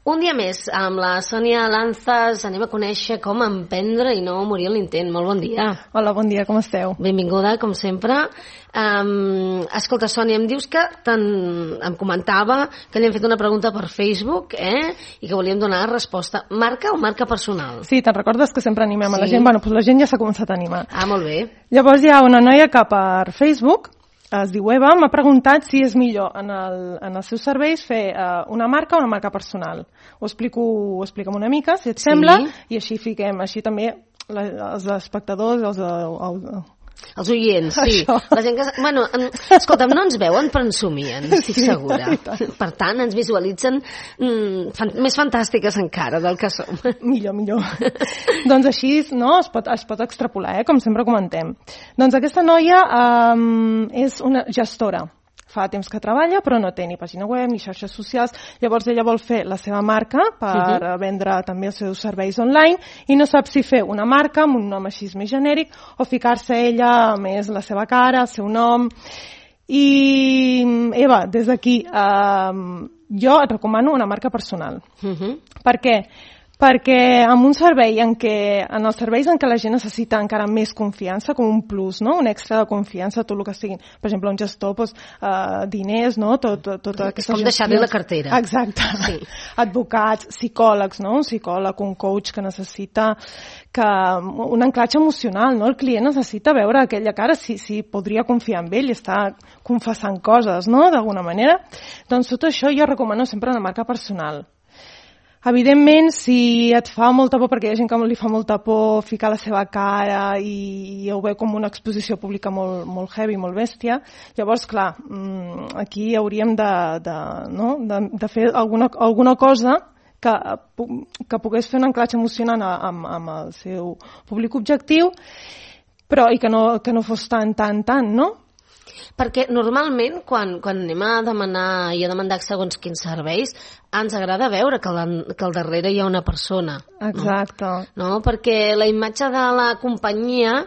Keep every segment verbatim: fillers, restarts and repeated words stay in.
Un dia més, amb la Sònia Lanzas anem a conèixer com emprendre i no morir en l'intent. Molt bon dia. Hola, bon dia, com esteu? Benvinguda, com sempre. Um, escolta, Sònia, em dius que em comentava que li hem fet una pregunta per Facebook eh? I que volíem donar resposta. Marca o marca personal? Sí, te'n recordes que sempre animem sí. a la gent? Bueno, doncs la gent ja s'ha començat a animar. Ah, molt bé. Llavors hi ha una noia que per Facebook, es diu Eva, m'ha preguntat si és millor en, el, en els seus serveis fer uh, una marca o una marca personal. Ho explico, ho expliquem una mica, si et sí. sembla, i així fiquem, així també la, els espectadors, els, els, els oients, sí. Això. La gent que... Bueno, escolta'm, no ens veuen però ens somien, estic sí, segura. Per tant, ens visualitzen mm, fan, més fantàstiques encara del que som. Millor, millor. Doncs així no, es, pot, es pot extrapolar, eh, com sempre comentem. Doncs aquesta noia um, és una gestora. Fa temps que treballa, però no té ni pàgina web ni xarxes socials. Llavors ella vol fer la seva marca per uh-huh. vendre també els seus serveis online i no sap si fer una marca amb un nom així més genèric o ficar-se ella més la seva cara, el seu nom. I Eva, des d'aquí, eh, jo et recomano una marca personal. Uh-huh. Per què? Perquè en un servei en què, en els serveis en què la gent necessita encara més confiança, com un plus, no? Un extra de confiança, tot el que siguin, per exemple, un gestor, doncs, uh, diners, no? Tot, tot, tota aquesta com deixar-li la cartera. Exacte. Sí. Advocats, psicòlegs, no? Un psicòleg, un coach que necessita que, un anclatge emocional, no? El client necessita veure aquella cara si, si podria confiar en ell i està confessant coses, no? D'alguna manera. Doncs tot això jo recomano sempre una marca personal. Evidentment, si et fa molta por, perquè hi ha gent que li fa molta por ficar la seva cara i ho veu com una exposició pública molt, molt heavy, molt bèstia, llavors, clar, aquí hauríem de, de, no? de, de fer alguna, alguna cosa que, que pogués fer un anclatge emocional amb, amb el seu públic objectiu, però i que no, que no fos tan, tan, tan, no? Perquè normalment quan, quan anem a demanar i a demandar segons quins serveis ens agrada veure que, la, que al darrere hi ha una persona. Exacte. No? no? Perquè la imatge de la companyia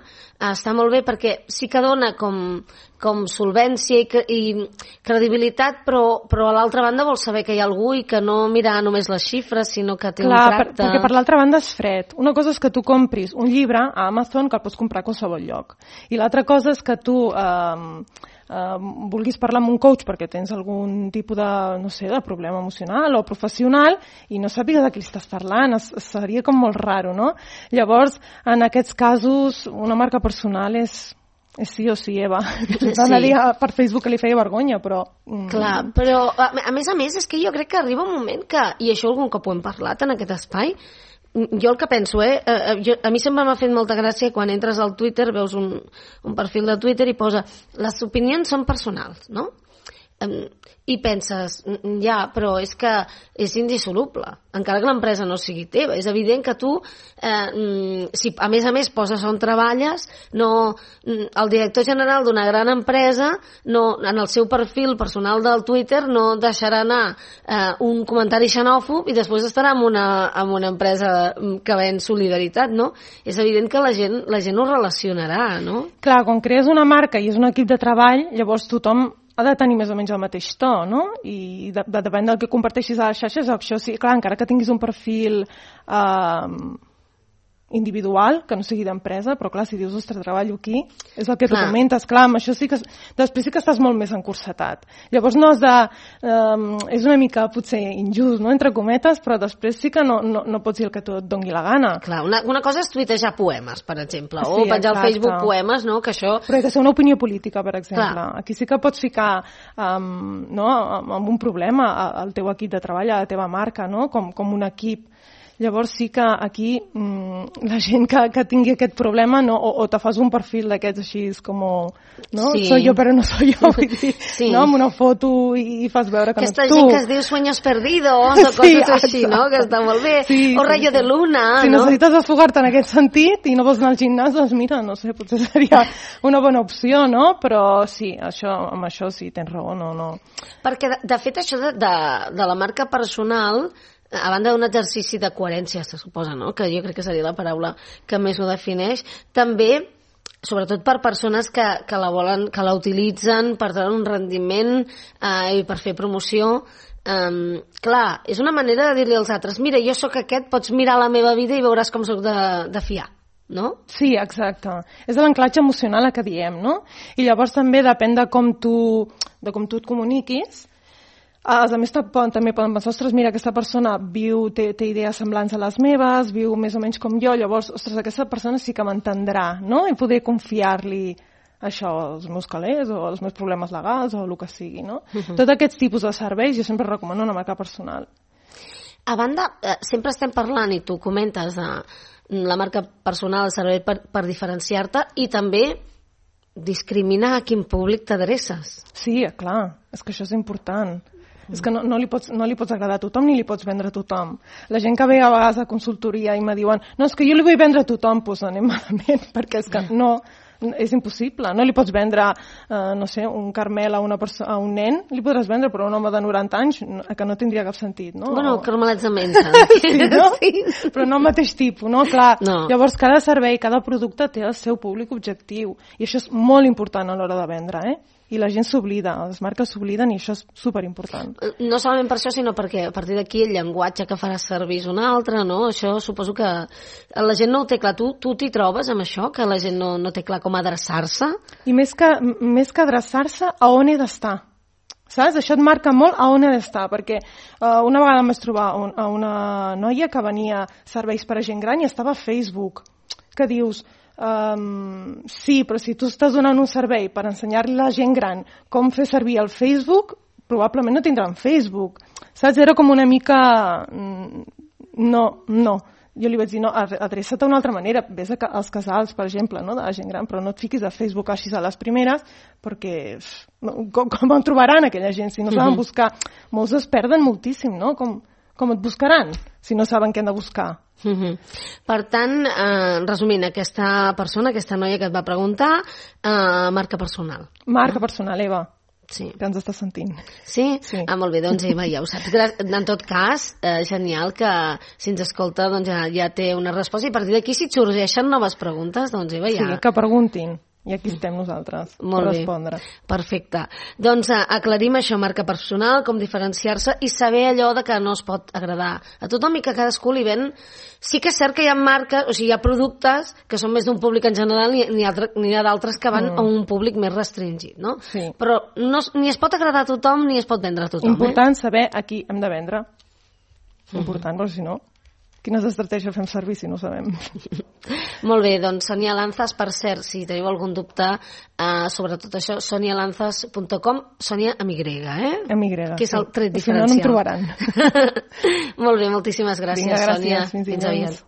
està molt bé perquè sí que dona com, com solvència i, i credibilitat, però, però a l'altra banda vol saber que hi ha algú i que no mira només les xifres, sinó que té Clar, un tracte... Per, perquè per l'altra banda és fred. Una cosa és que tu compris un llibre a Amazon que el pots comprar a qualsevol lloc. I l'altra cosa és que tu... Eh, Uh, vulguis parlar amb un coach perquè tens algun tipus de, no sé, de problema emocional o professional i no sàpigues de qui estàs parlant, es, seria com molt raro, no? Llavors, en aquests casos, una marca personal és, és sí o sí, Eva. Sí. Anaria per Facebook que li feia vergonya, però... Mm. Clar, però a, a més a més és que jo crec que arriba un moment que, i això algun cop ho hem parlat en aquest espai, jo el que penso, eh, eh jo, a mi sempre m'ha fet molta gràcia quan entres al Twitter, veus un, un perfil de Twitter i posa les opinions són personals, no? Um, i penses, ja, però és que és indissoluble, encara que l'empresa no sigui teva. És evident que tu, eh, si a més a més poses on treballes, no, el director general d'una gran empresa, no, en el seu perfil personal del Twitter, no deixarà anar eh, un comentari xenòfob i després estarà en una, en una empresa que ven solidaritat, no? És evident que la gent, la gent ho relacionarà, no? Clar, quan crees una marca i és un equip de treball, llavors tothom ha de tenir més o menys el mateix to, no? I de, de, depèn del que comparteixis a les xarxes, això sí, clar, encara que tinguis un perfil eh, individual, que no sigui d'empresa, però clar, si dius, ostres, treballo aquí, és el que tu comentes, clar, amb això sí que després sí que estàs molt més encursetat. Llavors no has de... Eh, és una mica potser injust, no?, entre cometes, però després sí que no, no, no pots dir el que tu et doni la gana. Clar, una, una cosa és tuitejar poemes, per exemple, sí, o penjar al Facebook poemes, no?, que això... Però ha de ser una opinió política, per exemple. Clar. Aquí sí que pots ficar um, no, amb un problema al teu equip de treball, a la teva marca, no?, com, com un equip. Llavors sí que aquí mmm, la gent que, que tingui aquest problema no, o, o te fas un perfil d'aquests així com no? Sí. Soy yo però no soy yo, vull dir, sí. No? Amb una foto i, i fas veure que aquesta no ets tu. Aquesta gent que es diu sueños perdidos o coses sí, així, no? Que està molt bé. Sí, o rayo sí, de luna, si no? Si necessites desfogar-te en aquest sentit i no vols anar al gimnàs, doncs mira, no sé, potser seria una bona opció, no? Però sí, això, amb això sí, tens raó, no, no. Perquè, de, de fet, això de, de, de la marca personal, a banda d'un exercici de coherència, se suposa, no?, que jo crec que seria la paraula que més ho defineix, també, sobretot per persones que, que la volen, que la utilitzen per treure un rendiment eh, i per fer promoció, Um, clar, és una manera de dir-li als altres, mira, jo sóc aquest, pots mirar la meva vida i veuràs com sóc de, de fiar, no? Sí, exacte. És l'anclatge emocional que diem, no? I llavors també depèn de com tu, de com tu et comuniquis. Els amics també poden pensar, ostres, mira, aquesta persona viu, té, té idees semblants a les meves, viu més o menys com jo, llavors, ostres, aquesta persona sí que m'entendrà, no? I poder confiar-li això, els meus calés o els meus problemes legals o el que sigui, no? Uh-huh. Tots aquests tipus de serveis jo sempre recomano una marca personal. A banda, eh, sempre estem parlant, i tu comentes, de la marca personal, el servei per, per diferenciar-te i també discriminar a quin públic t'adreces. Sí, clar, és que això és important. Mm. És que no, no, li pots, no li pots agradar a tothom ni li pots vendre a tothom. La gent que ve a vegades a consultoria i me diuen no, és que jo li vull vendre a tothom, doncs anem malament, perquè és que no... és impossible, no li pots vendre eh, no sé, un Carmel a, una a un nen, li podràs vendre, però un home de noranta anys que no tindria cap sentit, no? Bueno, o... carmelets de mensa. Sí, no? Sí. Però no el mateix tipus, no? Clar, no. Llavors cada servei, cada producte té el seu públic objectiu i això és molt important a l'hora de vendre, eh? I la gent s'oblida, les marques s'obliden i això és superimportant. No solament per això, sinó perquè a partir d'aquí el llenguatge que faràs servir és un altre, no? Això suposo que la gent no ho té clar. Tu tu t'hi trobes amb això, que la gent no, no té clar com adreçar-se? I més que, més que adreçar-se, a on he d'estar? Saps? Això et marca molt a on he d'estar, perquè uh, una vegada em vaig trobar un, a una noia que venia serveis per a gent gran i estava a Facebook, que dius... Um, sí, però si tu estàs donant un servei per ensenyar-li a la gent gran com fer servir el Facebook, probablement no tindran Facebook, saps? Era com una mica... No, no. Jo li vaig dir, no, adreça't d'una altra manera, vés als casals, per exemple, no, de la gent gran, però no et fiquis a Facebook així a les primeres, perquè com, com em trobaran aquella gent? Si no saben buscar, molts es perden moltíssim, no? Com, com et buscaran si no saben què han de buscar? Uh-huh. Per tant, eh, resumint, aquesta persona, aquesta noia que et va preguntar, eh, marca personal. Marca personal, Eva. Sí. Que ens està sentint. Sí? Sí. Ah, molt bé, doncs Eva, ja ho saps. En tot cas, eh, genial que si ens escolta doncs ja, ja té una resposta i a partir d'aquí si et sorgeixen noves preguntes, doncs Eva ja... Sí, que preguntin. I aquí estem nosaltres Molt per respondre. Bé. Perfecte. Doncs eh, aclarim això, marca personal, com diferenciar-se i saber allò de que no es pot agradar a tothom i que cadascú li ven... Sí que és cert que hi ha marques, o sigui, hi ha productes que són més d'un públic en general i n'hi ha, ha d'altres que van mm. a un públic més restringit, no? Sí. Però no, ni es pot agradar a tothom ni es pot vendre a tothom. Important eh? saber a qui hem de vendre. Important, mm. però si no... Quines estratègies fem servir si no ho sabem? Molt bé, doncs Sonia Lanzas, per cert, si teniu algun dubte eh, sobre tot això, sonia lanzas punt com, Sonia amb Y, eh? Amb Y, que és el tret sí. diferencial. Si no, no em trobaran. Molt bé, moltíssimes gràcies, Vinga, gràcies, Sonia. Fins, fins aviat.